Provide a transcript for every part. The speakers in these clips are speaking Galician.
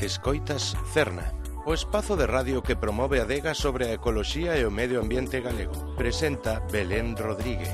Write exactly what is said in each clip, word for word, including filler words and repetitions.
Escoitas Cerna, o espazo de radio que promove a adega sobre a ecoloxía e o medio ambiente galego. Presenta Belén Rodríguez.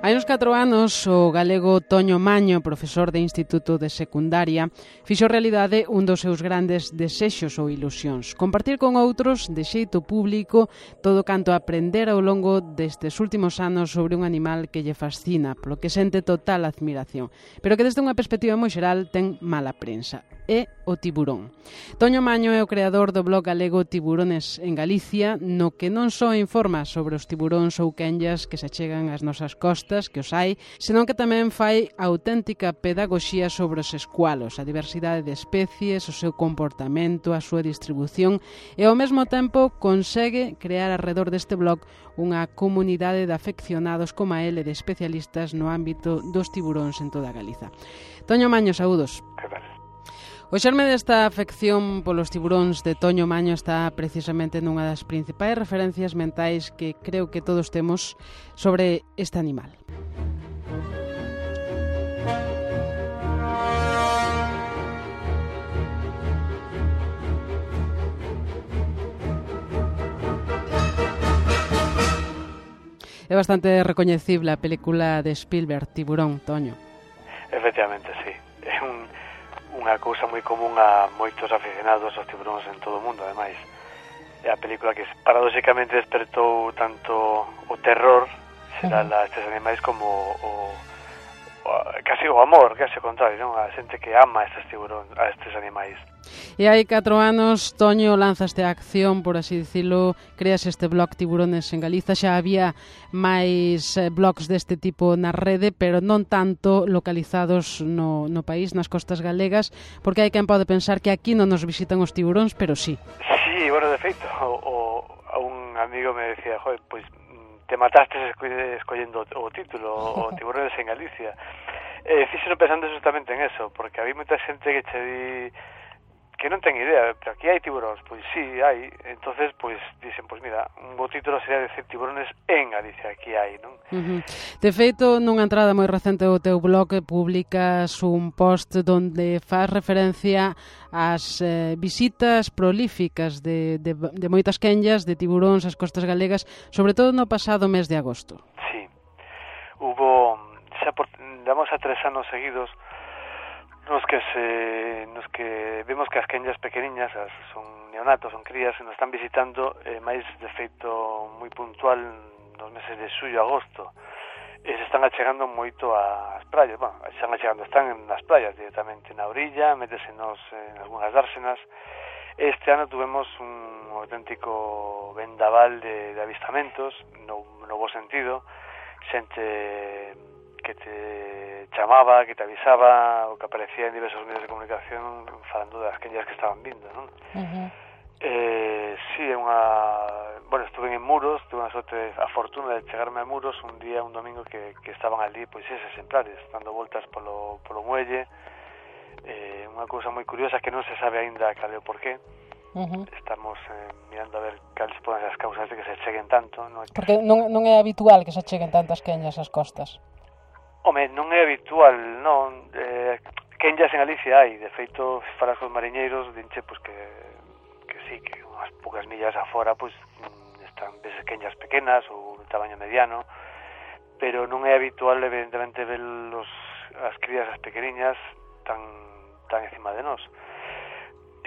Hai uns catro anos, o galego Toño Maño, profesor de Instituto de Secundaria, fixo realidade un dos seus grandes desexos ou ilusións: compartir con outros, de xeito público, todo canto aprender ao longo destes últimos anos sobre un animal que lle fascina, polo que sente total admiración, pero que desde unha perspectiva moi xeral ten mala prensa. É o tiburón. Toño Maño é o creador do blog galego Tiburones en Galicia, no que non só informa sobre os tiburóns ou quenllas que se achegan ás nosas costas, que os hai, senón que tamén fai auténtica pedagogía sobre os escualos, a diversidade de especies, o seu comportamento, a súa distribución, e ao mesmo tempo consegue crear arredor deste blog unha comunidade de afeccionados como a ele, de especialistas no ámbito dos tiburóns en toda Galiza. Toño Maño, saúdos. Que tal? O xerme desta afección polos tiburóns de Toño Maño está precisamente nunha das principais referencias mentais que creo que todos temos sobre este animal. É bastante recoñecible a película de Spielberg, Tiburón, Toño. Efectivamente, sí. É un, unha cousa moi común a moitos aficionados aos tiburóns en todo o mundo, ademais. É a película que paradóxicamente despertou tanto o terror xeral a estes animais como o, o casi o amor, casi o contrario, non? A xente que ama a estes tiburóns, a estes animais. E hai catro anos, Toño, lanzaste a acción, por así dicilo, creas este blog Tiburones en Galiza. Xa había máis blogs deste tipo na rede, pero non tanto localizados no, no país, nas costas galegas, porque hai quen pode pensar que aquí non nos visitan os tiburóns, pero sí. Sí, bueno, de feito, o, o, un amigo me decía, joder, pois te mataste escollendo o título, o Tiburones en Galicia. Eh, fíxeno pensando justamente en eso, porque había moita xente que che di que non ten idea, pero aquí hai tiburóns, pois sí, hai. Entonces, pois dicen, pois mira, un bo título sería decir Tiburones en Galicia, aquí hai, non? Uh-huh. De feito, nunha entrada moi recente do teu blog publicas un post donde faz referencia ás eh, visitas prolíficas de, de, de moitas quenllas de tiburóns ás costas galegas, sobre todo no pasado mes de agosto. Sí. Hubo, xa por, damos a tres anos seguidos, nos que se nos que vemos que as quenllas pequeniñas, as son neonatos, son crías, se nos están visitando eh, máis de feito moi puntual nos meses de xullo e agosto. E se están achegando moito ás praias, bueno, están achegando, están nas praias directamente na orilla, métesenos en algunhas dársenas. Este ano tuvemos un auténtico vendaval de, de avistamentos, no, no bo sentido, xente que te chamaba, que te avisaba, ou que aparecía en diversos medios de comunicación falando das quenllas que estaban vindo, non? Uh-huh. Eh, sí, é unha... Bueno, estuve en Muros, tuve unha sorte, a fortuna de chegarme a Muros un día, un domingo, que, que estaban ali, pois, eses exemplares, dando voltas polo, polo muelle. Eh, unha cousa moi curiosa que non se sabe aínda cal é o porqué. Uh-huh. Estamos eh, mirando a ver cales poden ser as causas de que se cheguen tanto, non? Porque non, non é habitual que se cheguen tantas quenllas ás costas. Home, non é habitual, non. Eh, quenllas en Galicia hai, de feito, falas cos mariñeiros, dinche, pois que, que sí, que unhas poucas millas afora, pois, están veces quenllas pequenas ou de tamaño mediano, pero non é habitual, evidentemente, ver los, as crías as pequeniñas tan, tan encima de nós.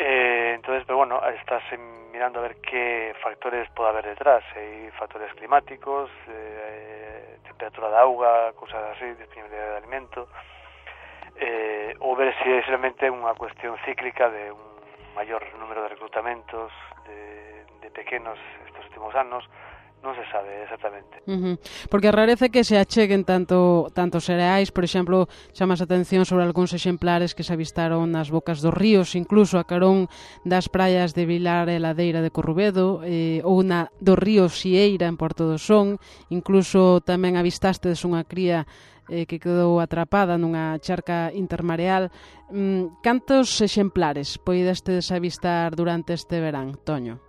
Eh, entonces, pero bueno, estás mirando a ver que factores pode haber detrás. Hai factores climáticos, eh, temperatura da auga, cousas así, disponibilidade de alimento, eh, ou ver se é realmente unha cuestión cíclica de un maior número de reclutamentos de, de pequenos estes últimos anos. Non se sabe exactamente. Uh-huh. Porque rarece que se acheguen tanto tantos cereais, por exemplo, chamas a atención sobre algúns exemplares que se avistaron nas bocas dos ríos, incluso a carón das praias de Vilar e Ladeira de Corrubedo, eh, ou na do río Xieira en Porto do Son, incluso tamén avistastes unha cría eh, que quedou atrapada nunha charca intermareal. Mm, cantos exemplares poidestes avistar durante este verán, Toño?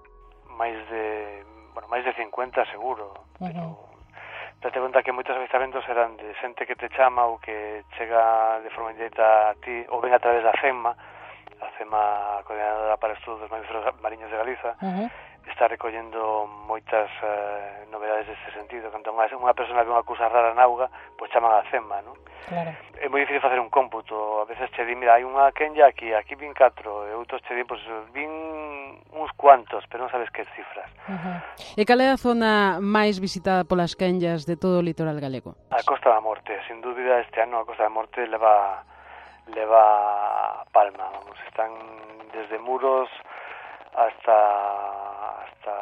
Máis de, bueno, máis de cincuenta seguro, uh-huh. pero date conta que moitos avistamentos eran de xente que te chama ou que chega de forma indirecta a ti, ou ven a través da CEMA, a CEMA, a Coordinadora para Estudos dos Mamíferos Mariños de Galiza, uh-huh. está recollendo moitas uh, novedades deste sentido. Cando unha persona ve unha cousa rara na auga, pois chaman a CEMA, non? Claro. É moi difícil facer un cómputo. A veces che di, mira, hai unha quenya aquí, aquí vin catro, e outros che di, pois, vin uns cuantos, pero non sabes que cifras. Uh-huh. E cal é a zona máis visitada polas quenllas de todo o litoral galego? A Costa da Morte, sin dúbida, este ano a Costa da Morte leva leva palma, vamos, están desde Muros hasta hasta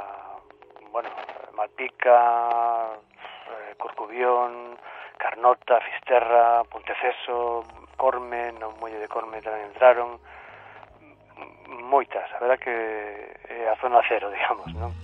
bueno, Malpica, eh, Corcubión, Carnota, Fisterra, Ponteceso, Corme, no Muelle de Corme tamén entraron, moitas, a verdad que é a zona cero, digamos, non?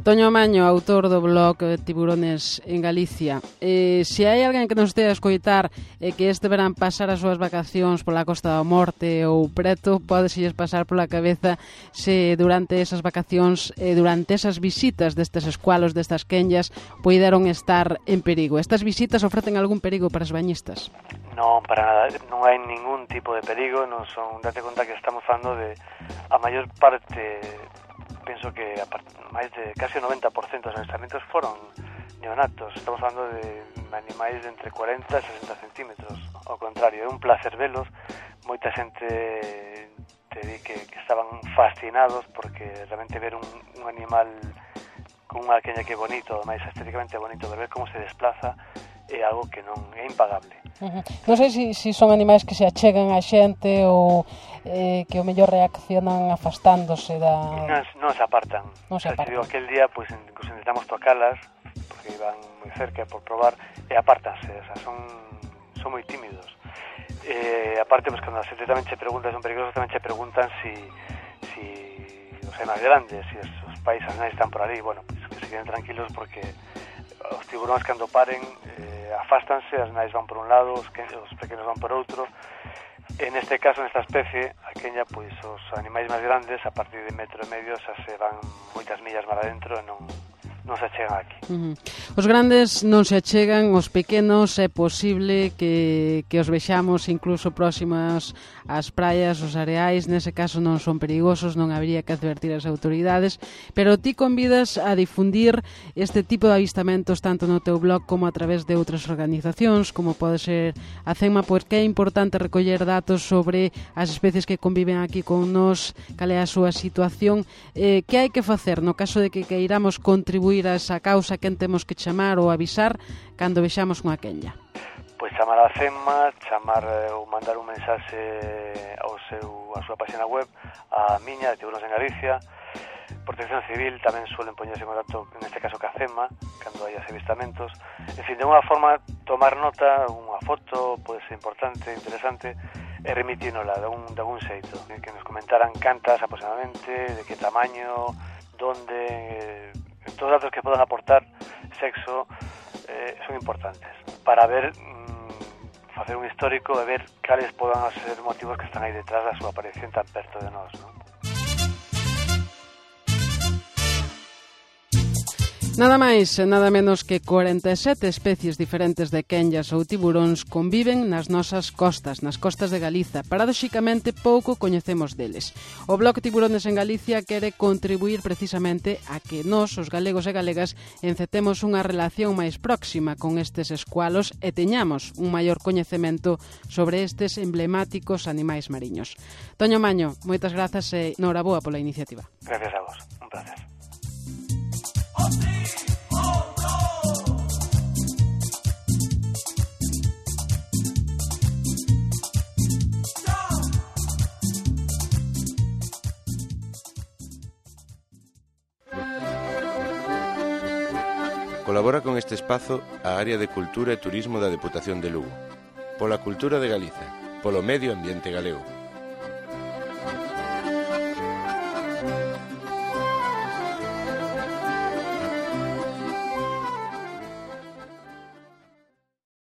Toño Maño, autor do blog Tiburones en Galicia. Eh, se hai alguén que nos estea a escoitar e eh, que este verán pasar as súas vacacións pola Costa da Morte ou preto, podeselles pasar pola cabeza se durante esas vacacións e eh, durante esas visitas destes escualos, destas quenllas, poideron estar en perigo. Estas visitas ofrecen algún perigo para os bañistas? Non, para nada, non hai ningún tipo de perigo, non son, date conta que estamos falando de a maior parte, penso que a part, máis de casi o noventa por cento dos avistamentos foron neonatos. Estamos falando de animais de entre cuarenta e sesenta centímetros. Ao contrario, é un placer velos. Moita xente te di que, que estaban fascinados porque realmente ver un, un animal con unha quenya que é bonito, máis estéticamente bonito, ver como se desplaza é algo que non é impagable. Uh-huh. Non sei se si, si son animais que se achegan a xente ou eh, que o mellor reaccionan afastándose da... Non, non se apartan. Non se apartan. Digo, aquel día, pues, incluso intentamos tocalas, porque iban moi cerca por probar, e apartanse, o sea, son, son moi tímidos. Eh, aparte, pues, cando a xente tamén che pregunta se son perigosos, tamén che preguntan si, si os animais grandes, si os, os pais animais están por ali, bueno, pues, que se queden tranquilos porque os tiburóns cando paren eh, afástanse, as nais van por un lado, os, que, os pequenos van por outro. En este caso, nesta especie, a quenya, pois os animais máis grandes, a partir de metro e medio, xa se van moitas millas mar adentro e non, non se achegan aquí. Uh-huh. Os grandes non se achegan, os pequenos é posible que, que os vexamos incluso próximos ás praias, os areais, nese caso non son perigosos, non habría que advertir as autoridades, pero ti convidas a difundir este tipo de avistamentos tanto no teu blog como a través de outras organizacións, como pode ser a CEMA, porque é importante recoller datos sobre as especies que conviven aquí con nós, cal é a súa situación, eh, que hai que facer no caso de que queiramos contribuir a esa causa, quen temos que chamar ou avisar cando vexamos unha quenya? Pois chamar a CEMA, chamar ou mandar un mensaxe ao seu, a súa página web, a miña, de Tiburones en Galicia. Protección Civil tamén suelen poñerse en contacto, neste caso, ca CEMA, cando hai avistamentos. En fin, de unha forma, tomar nota, unha foto, pode ser importante, interesante, e remitínola de un, de un xeito. Que nos comentaran cantas aproximadamente, de que tamaño, donde... Eh, todos os datos que podan aportar sexo eh, son importantes para ver mmm, facer un histórico e ver cales podan ser motivos que están aí detrás da súa aparición tan perto de nós, non? Nada máis e nada menos que cuarenta e sete especies diferentes de quenllas ou tiburóns conviven nas nosas costas, nas costas de Galiza. Paradoxicamente, pouco coñecemos deles. O blog Tiburones en Galicia quere contribuir precisamente a que nós, os galegos e galegas, encetemos unha relación máis próxima con estes escualos e teñamos un maior coñecemento sobre estes emblemáticos animais mariños. Toño Maño, moitas grazas e noraboa pola iniciativa. Gracias a vos, un placer. Colabora con este espazo a Área de Cultura e Turismo da Deputación de Lugo. Pola cultura de Galiza, polo medio ambiente galego.